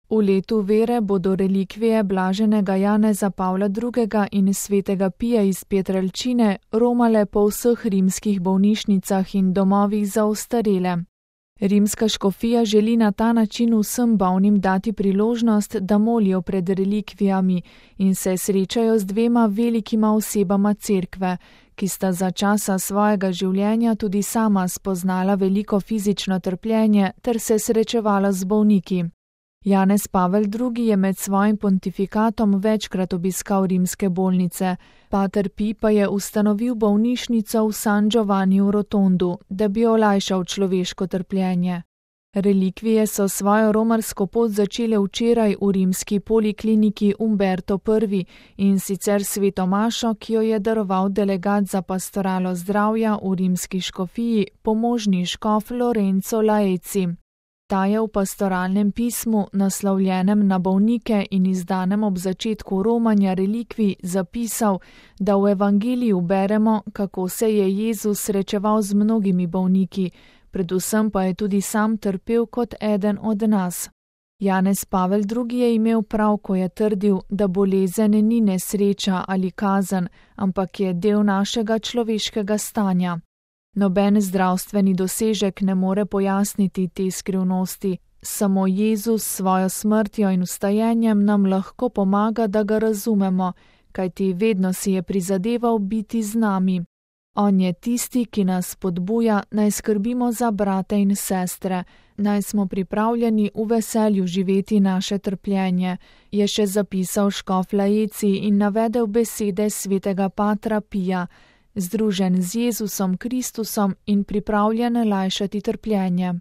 V letu vere bodo relikvije blaženega Janeza Pavla II. In svetega Pija iz Pietrelcine romale po vseh rimskih bolnišnicah in domovih za ostarele. Rimska škofija želi na ta način vsem bolnim dati priložnost, da molijo pred relikvijami in se srečajo z dvema velikima osebama cerkve, ki sta za časa svojega življenja tudi sama spoznala veliko fizično trpljenje ter se srečevala z bolniki. Janez Pavel II. Je med svojim pontifikatom večkrat obiskal rimske bolnice, pater Pij pa je ustanovil bolnišnico v San Giovanni v Rotondu, da bi olajšal človeško trpljenje. Relikvije so svojo romarsko pot začele včeraj v rimski polikliniki Umberto I. in sicer sveto mašo, ki jo je daroval delegat za pastoralo zdravja v rimski škofiji, pomožni škof Lorenzo Laeci. Ta je v pastoralnem pismu, naslovljenem na bolnike in izdanem ob začetku romanja relikvij, zapisal, da v evangeliju beremo, kako se je Jezus srečeval z mnogimi bolniki, predvsem pa je tudi sam trpel kot eden od nas. Janez Pavel II. Je imel prav, ko je trdil, da bolezen ni nesreča ali kazen, ampak je del našega človeškega stanja. Noben zdravstveni dosežek ne more pojasniti te skrivnosti, samo Jezus s svojo smrtjo in vstajenjem nam lahko pomaga, da ga razumemo, kajti vedno si je prizadeval biti z nami. On je tisti, ki nas spodbuja, naj skrbimo za brate in sestre, naj smo pripravljeni v veselju živeti naše trpljenje, je še zapisal škof Laeci in navedel besede svetega patra Pija, združen z Jezusom Kristusom in pripravljen lajšati trpljenje.